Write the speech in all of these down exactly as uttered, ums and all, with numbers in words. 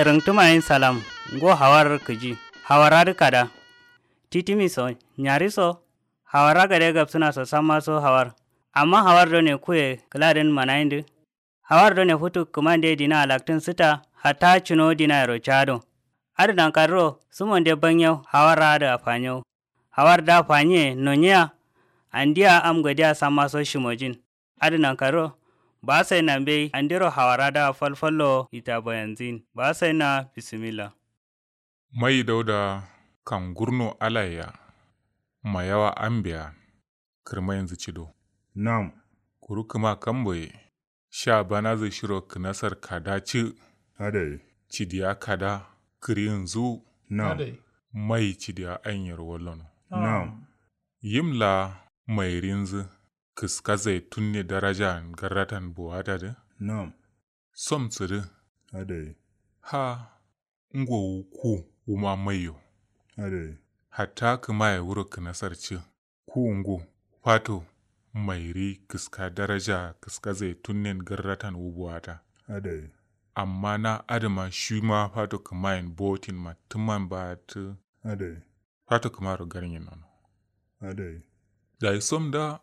Rǝngtǝmayin salam. Ngo hawar kǝji. Hawar adǝ kada. Titimi so nyari so. Hawar agade gabsǝna so samma so hawar. Amma hawar done kuye kǝladǝn manayindǝ. Hawar done futu kǝmande dina alaktǝn sǝta. Hatta cǝno dinayero cado. Adǝ nankadǝro sǝmonde banyau hawar adǝ afanyo. Hawar da fanyiye nonyiya. Andiya am godiya samma so shimojin. Adǝ nankaro. Ba sai na mbei andiro hawara da falfallo ita bayanzin ba sai na bisimilla. Mai dauda kangurno alaiya. Mayawa ambeya. Kǝrmainzǝ cido. Nam. Kuru kǝma kamboye. Sha banazǝ shiro kǝnasar kada ci. Adai. Cidiya kada. Kǝrinzǝ. Nam. Mai cidiya ainyero wallono. Nam. Yim la mairinzǝ. Kǝska zaitunne daraja garratan buwata dǝ. Nam. Som sǝdǝ. Adai. Ha. Ngo wu ku wuma maiyo. Adai. Hatta kǝmaye wuro kǝnasar ci. Ku ngo. Fato. Mairi kǝska daraja kǝska zaitunnen garratan wu buwata. Adai. Amma na adǝma shima fato kǝmayen botin ma tǝman ba tǝ. Adai. Fato kǝmaro garnyin nono. Adai. Dayi som da.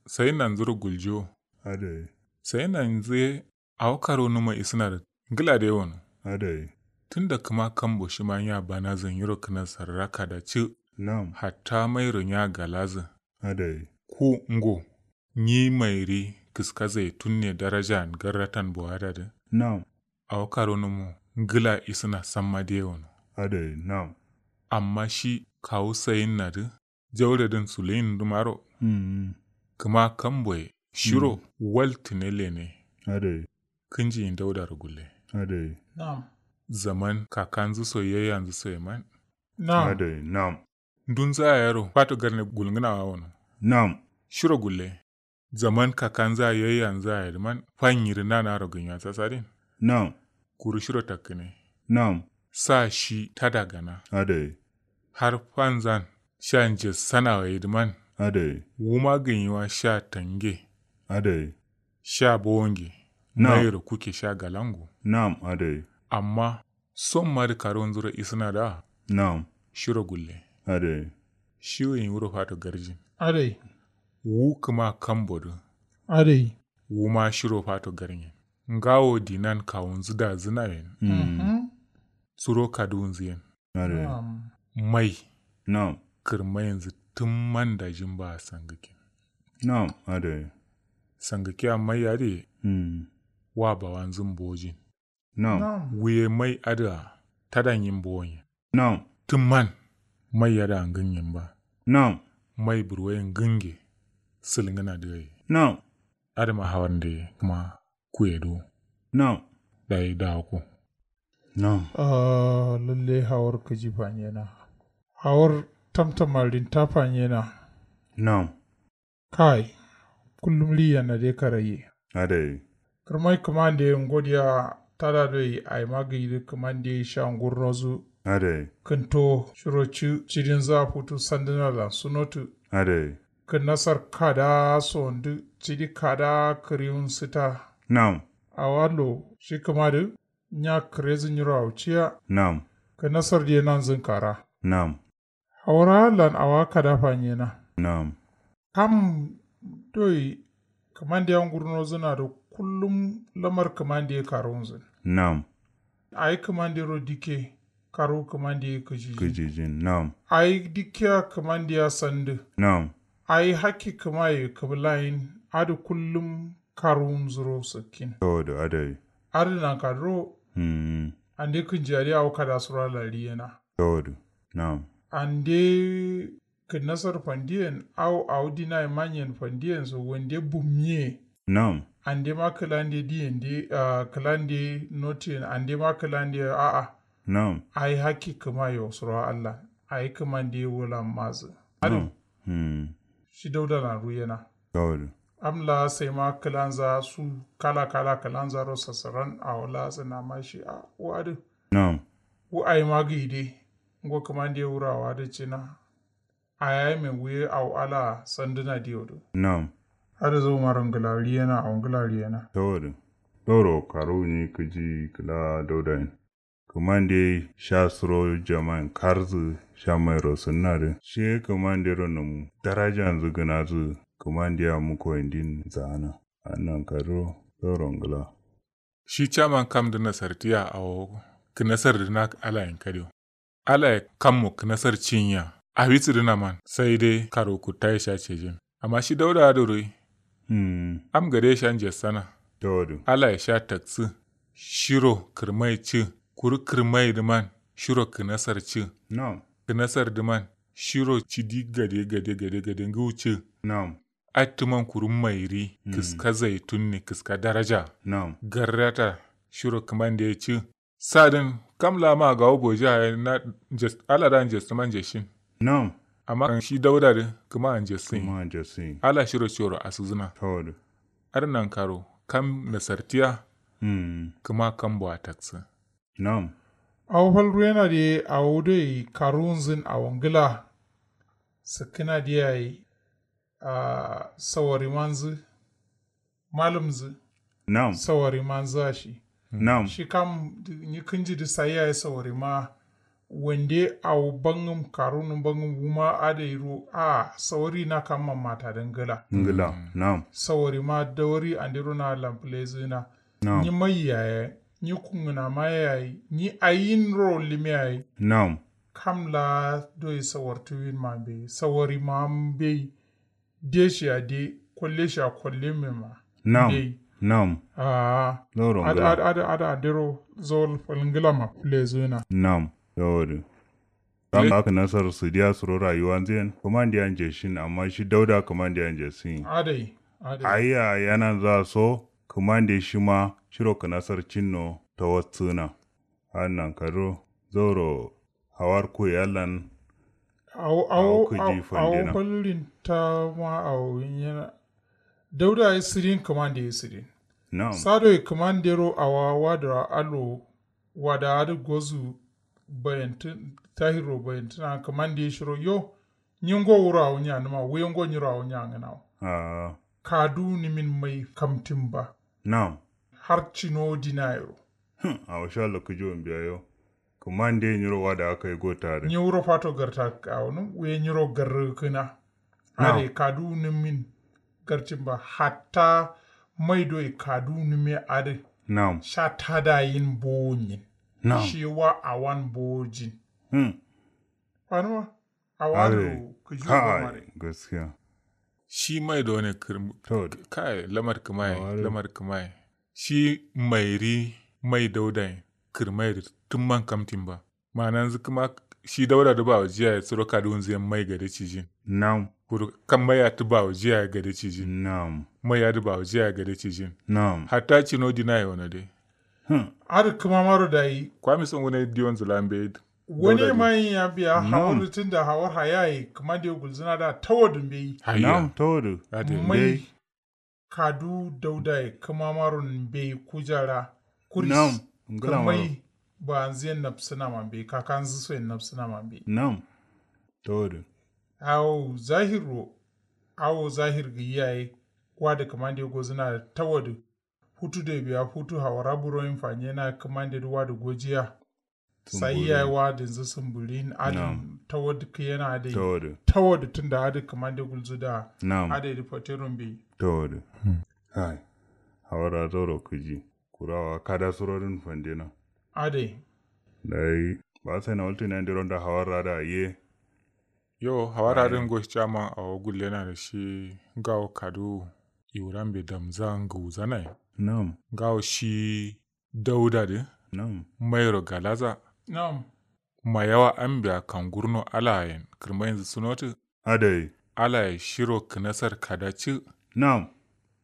Sai nanzuro guljo. Adai. Sai nanzuye. Awo karo numo isǝna dǝ. Ngǝla dai wono. Adai. Tunda kǝma kambo shima nya banazǝ nyiro kǝnasar raka da cǝ. Nam. Hatta mairo nya galazǝ. Adai. Ku ngo. Nyi mairi kǝska zaitunne darajan garratan buwata dǝ. Nam. Awo karo numo ngǝla isǝna samma dai wono. Adai nam. Amma shi kawu sayinna dǝ. Jauredǝn suluyin dǝmaro. Kǝma kamboye shiro. Waltǝne lene. Adai. Kǝnjiyin daudaro gulle. Adai. Zaman kakanzǝ so yayyanzǝ so ye man. Adai nam. Ndunza yero fato garne gulngǝna wa wono. Nam. Shiro gulle. Zaman kakanza yayyanza ye dǝman. Fanyirǝ nanaro gǝnya sasadin. Nam. Kuru shiro takkǝne. Nam. Sa shi tada gana. Adai. Har fanzan sha nje sanawa ye dǝman. Adai. Wuma gǝnyiwa sha tange. Adai. Sha bowonge. Nam. Mayiro kuke sha galango. Nam adai. Amma somma dǝ karunzuro isǝna da. Nam. Shiro gulle. Adai. Shiwuyin wuro fato garjin. Adai. Wu kǝma kambo dǝ. Adai. Wuma shiro fato garnyen. Ngawo dinan kawunzǝ dazǝnayen. Suro kaduwunzǝyen. Mai. Nam. Kǝrmayinzǝ tǝmman dajin ba sangǝkin. Nam adai. Sangǝkiya mai adǝ ye. Wa bawanzǝ mbojin. Nam. Wuye mai adǝa tada nyi mbowonyen. Nam. Tǝmman. Mai adǝa ngǝnyen ba. Nam. Mai burwoye ngǝnge. Sǝlngǝna dǝ ye. Nam. Adǝma hawar nde kǝma kuye do. Nam. Dayi dawo ko. Nam. Ahh lalle hawar kǝji fanyena. Hawar tamtama rinta fanyena. Nam. Kai. Kullum riyenna de karaiye. Adai. Kǝrmai kǝmande ngodiya tada doi aima gǝyi dǝ kǝmande sha ngurnozǝ. Adai. Kǝnto shiro ci cidinza futu sandǝna lan sunotǝ. Adai. Kǝnnasar kada sondǝ cidi kada kǝriwun sǝta. Nam. Awallo shi kǝmadǝ. Nya kǝrezǝ nyiro awciya. Nam. Kǝnnasar diye nanzǝn kara. Nam. Hawara lan awa kada fanyena. Nam. Kam doi kǝmandiya ngurnozǝna dǝ kullum lamar kǝmandiye karuwunzǝn. Nam. Ayi kǝmandiro dikke karuwu kǝmandiye kǝjijin. Kǝjijin nam. Ayi dikkeya kǝmandiya sandǝ. Nam. Ayi hakki kǝmaye kǝbǝlayin adǝ kullum karuwunzuro sǝkkin. Tawadu adai. Adǝ nankadǝro. Ande kǝnjiyadǝ awo kada suro alari yena. Tawadu. Nam. Ande kǝnnasar fandiyen awo awo dinaye manyen fandiyen so wande bummiye. Nam. Andema kǝlande diyen de ahh kǝlande notiyen andema kǝlande a'a. Nam. Ayi hakki kǝmaye wo suro allan ayi kǝmande wulan mazǝ. Adǝ. Shi daudalan ruyena. Am la saima kǝlanza su kala kala kǝlanzaro sassaran awo la sǝnama shi a wu adǝ. Nam. Wu aima gǝyi de. Ngo kǝmande wuro awo adǝ cina. Ayayi me wuye awo alaa sandǝna diyo dǝ. Nam. Adǝ zaumaro ngǝla riyena awo ngǝla riyena. Tawo dǝ. Zauro karuwu nyi kǝji kǝla daudayen. Kǝmande sha suro jamain karzǝ sha mairo sǝnna dǝ shiye kǝmandero nǝm darajanzǝ gǝnazǝ. Kǝmande a muko indin za'ana annan kaduro zauro ngla. Shi caman kam dǝ nasartiya awo kǝnasar dǝ na alayen kadio. Alaye kammo kǝnasar cinyiya awi sǝdǝna man sai dai karo kuttaye sha cejin. Amma shi dauda adǝ ruyi. Am gade sha njesana. Alaye sha taksǝ shiro kǝrmai cǝ kuru kǝrmai dǝ man shiro kǝnasar cǝ. Kǝnasar dǝ man shiro cidi gade gade gade gade ngǝwu cǝ. Attǝman kuru mairi kǝska zaitun ne kǝska daraja. Garrata shiro kǝmande cǝ. Sadǝn kam la ma gawo bojiya ye na ala da njestǝma njeshin. Amma shi dauda dǝ kǝma a njesǝn. Ala shiro coro asǝzǝna. Adǝ nankaro kam nasartiya. Kǝma kambo a taksǝ. Awo fal ruyena dǝ ye awo doi karuwunzǝn awo ngla. Sǝkkǝna dǝ yayi. Sawarimanzǝ malǝmzǝ. Sawarimanzǝ a shi. Shi kam nyi kǝnji dǝ sayi yayi sawarima. Wande awo bangǝm karunǝ bangǝm wuma adai ro a sawari na kam mammata dǝ ngla. Sawarima dawari andero na lampǝlezǝna. Nyi mai yayi nyi kungǝnama yayi nyi ayin ro lime yayi. Kam la doi sawartuwin ma mbeyi sawarima mbeyi. Deshiya de kolleshiya kolleme ma. Nam. Nam. Ahh. Adǝ adǝ adǝ andero zawal falngǝla ma lezǝna. Nam. Yawodǝ. Kam la kǝnasar sǝdiya suro rayuwanzǝ yen kǝmandeya njeshin amma shi dauda kǝmandeya njesǝnyi. Adai. Adai. Ayya yananza so kǝmande shima shiro kǝnasar cinno tawassǝna. Adǝ nankaduro zauro hawar kuye allan. Awo awo awo fallin ta ma awo nyena. Dauda ye sidin kǝmande ye sidin. Sado ye kǝmandero awa wadǝ allo. Wada adǝ gozu. Bayantin tahiro bayantina kǝmande ye shiro yo. Nyi ngo wuro awo nyanǝma wuye ngo nyiro awo nyangǝnawo. Ahh. Kaduwu nǝmin mai kamtin ba. Nam. Har cino dinayero. Hum awo sha lokkujo mbiya yo. Kǝmande nyiro wada akai gota dǝ. Nyi wuro fato garta awonǝm wuye nyiro garrǝ kǝna. Adai kaduwu nǝmin. Gartin ba hatta mai doi kaduwu nǝme adǝ. Nam. Sha tada yin bowo nyin. Nam. Shi wa awan bowo jin. Hum. Fanuma. Awa dǝ. Gaskiya. Shi mai done kǝrm. Kai lamar kǝmaye lamar kǝmaye. Shi mairi mai daudaye kǝrmai dǝ tǝmman kamtin ba. Ma'ananzǝ kǝma shi dauda dǝ bawo jiyaye suro kaduwunzǝ yen mai gade cijin. Nam. Kuru kam mai adǝ bawo jiyaye gade cijin. Nam. Mai adǝ bawo jiyaye gade cijin. Nam. Hatta cino dinaye wono dai. Adǝ kǝmamaro dayi kwami songune diyonzǝ la mbeyi. Wane mayin ya biya hawar tunda hawar hayaye kǝmande gulzǝna da tawadǝ mbeyi. Nam tawadǝ. Mai. Kadu daudaye kǝmamaron mbeyi kujara. Kuris. Kǝmai. Ba'anzǝ yen nabsǝna ma mbeyi kakanzǝ so yen nabsǝna ma mbeyi. Nam. Tawadǝ. Awo zahir ro. Awo zahir gǝyi yaye. Wadǝ kǝmande gozǝna da tawadǝ. Futu doi biya futu hawara buroyin fanyena kǝmande dǝ wadǝ gojiya. Sai yayi wadǝnzǝ sǝmbǝrin adǝn. Tawadǝ kǝyena adai. Tawadǝ tunda adǝ kǝmande gulzǝ da. Adai dǝ fatero mbeyi. Tawadǝ. Hai. Hawara zauro kǝji. Kuru awa kada surodǝn fandena. Adai. Dai. Ba sai na waltǝ ne andero nda hawara da ye. Yo hawara dǝn ngo shi caman awo gullena dǝ shi. Ngawo kaduwu. Iwurambe damza ngǝwuzanaye. Nam. Ngawo shi. Dauda dǝ. Nam. Mairo galaza. Nam. Mayawa ambiya kangurno alayen kǝrmainzǝ sunotǝ. Adai. Alaye shiro kǝnasar kada cǝ. Nam.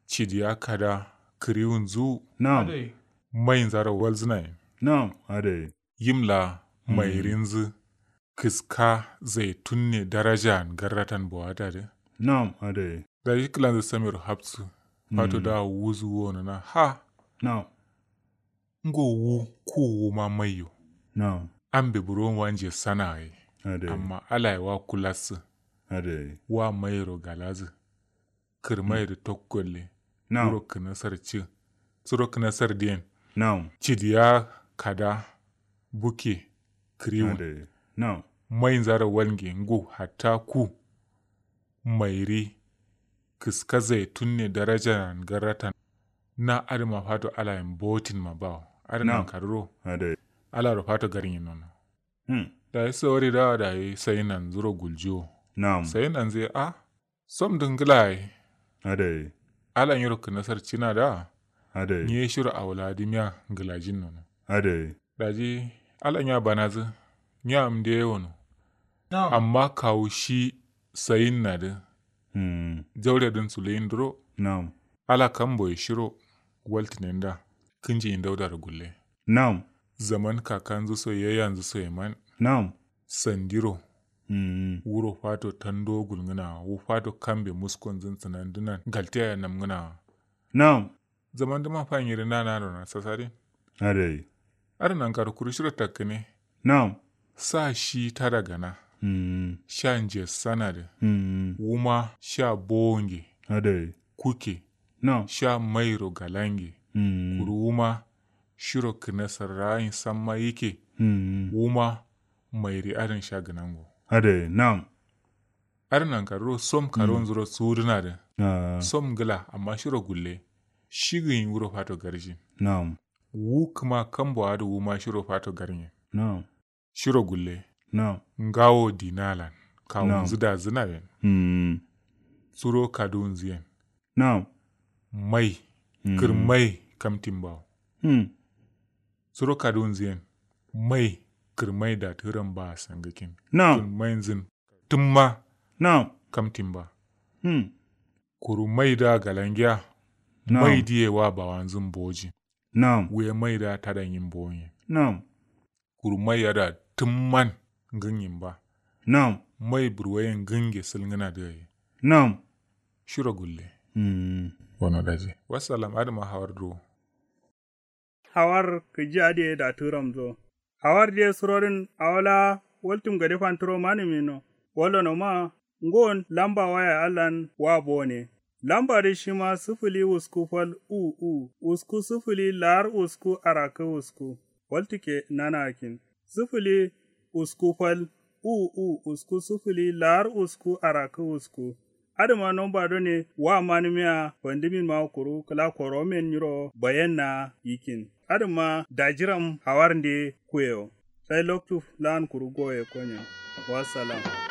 Cidiya kada. Kǝriwunzǝwu. Nam. Mainzaro walzǝnayen. Nam. Adai. Yim la. Mairinzǝ. Kǝska zaitun ne darajan garratan bowata dǝ. Nam adai. Daji kǝlanzǝ samiro hapsǝ. Fato da wuzǝ wonona ha. Nam. Ngo wu ku wuma maiyo. Nam. Ambe buron wanje sanaye. Adai. Amma alaye wa kulassǝ. Adai. Wa mairo galazǝ. Kǝrmai dǝ tokkolle. Nam. Wuro kǝnasar cǝ. Suro kǝnasar diyen. Nam. Cidiya kada. Buke kǝriwun. Maizaro walnge ngu hatta ku mairi kǝska zaitun ne darajalan garratan. Na adǝma fato alayen botin ma bawo adǝ nankarǝ ro. Alaro fato garnyin nono. Dayi sawari dawa dayi sayi nanzuro guljiwo. Sayi nanzǝ ye a som dǝ ngǝla yayi. Ala nyiro kǝnasar cina da. Nyi ye shiro awula dǝ miya ngǝlajin nono. Daji ala nya banazǝ nya amde ye wono. Amma kawu shi sayin na dǝ jaure dǝn suluyin duro. Ala kambo ye shiro waltǝnen da kǝnji yin dauda dǝ gulle. Zaman kakanzǝ so ye yanzǝ so ye man. Sandiro wuro fato tando gulngǝna wa wu fato kambe muskonzǝn sǝnandǝnan galtiya ye namngǝna wa. Zaman dǝma fa nyiri nana dona sasadin. Adai. Adǝ nankaro kuru shiro takkǝne. Sa shi tada gana. Sha nje sanadǝ. Wuma sha bowo nge. Kuke. Sha mairo galange. Kuru wuma shiro kǝne sarrayin samma yike. Wuma mairi adǝn sha gǝnango. Adai nam. Adǝ nankarǝ ro som karonzuro sudǝnadǝ. Som ngǝla amma shiro gulle. Shigǝyin wuro fato garjin. Wu kǝma kambo adǝ wuma shiro fato garnyen. Shiro gulle. Ngawo dinalan kawunzǝ dazǝna yen. Suro kaduwunzǝ yen. Mai kǝrmai kamtin bawo. Suro kaduwunzǝ yen. Mai kǝrmai datǝram ba sangǝkin. Kǝrmainzǝn tǝmma. Kamtin ba. Kuru mai da galangiya. Mai diye wa bawanzǝn bojin. Wuye mai da tadanyin bonye. Kuru mai ada tǝmman ngǝnyin ba. Mai burwayen ngǝnge sǝlngǝna dǝ yayi. Shiro gulle. Wono daji wassalam adǝma hawar duro. Hawar kǝji adǝ ye datǝramzo. Hawar dǝ ye surodǝn awo la waltum gade fanturo manǝmino. Wallonoma ngon lamba waya allan wa bone. Lamba dǝ shima sǝfǝli wusku fal u u wusku sǝfǝli lar wusku arakkǝ wusku. Waltǝkke nanakin sǝfǝli usku fal u u usku sǝfǝli lar usku arakkǝ usku. Adǝma nomba done wa manǝmiya fandǝmin ma kuru kǝla koromen nyiro bayenna yikkin. Adǝma dajiram hawarnde kuyewo. Sai loktu lan kuru goye konyen. Wassalam.